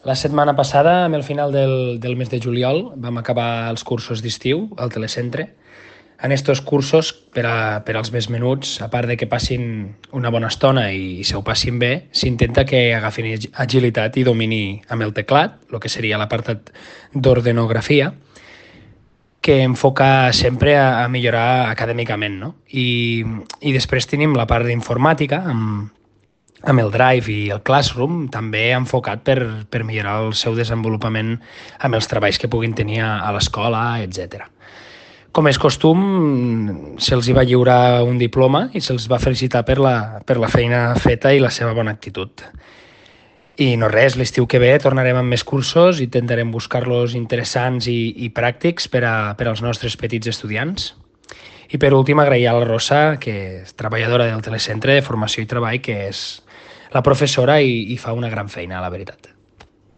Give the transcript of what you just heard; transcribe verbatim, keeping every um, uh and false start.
La setmana passada, amb el final del, del mes de juliol, vam acabar els cursos d'estiu al Telecentre. En estos cursos, per, a, per als més menuts, a part de que passin una bona estona i se ho passin bé, s'intenta que agafin agilitat i domini amb el teclat, el que seria l'apartat d'ordenografia, que enfoca sempre a, a millorar acadèmicament, no? I, i després tenim la part d'informàtica, amb, amb el Drive i el Classroom, també enfocat per, per millorar el seu desenvolupament amb els treballs que puguin tenir a, a l'escola, etcètera. Com és costum, se'ls va lliurar un diploma i se'ls va felicitar per la, per la feina feta i la seva bona actitud. I no res, l'estiu que ve tornarem amb més cursos i intentarem buscar-los interessants i, i pràctics per, a, per als nostres petits estudiants. I per últim, agrair a la Rosa, que és treballadora del Telecentre de Formació i Treball, que és la professora i, i fa una gran feina, la veritat.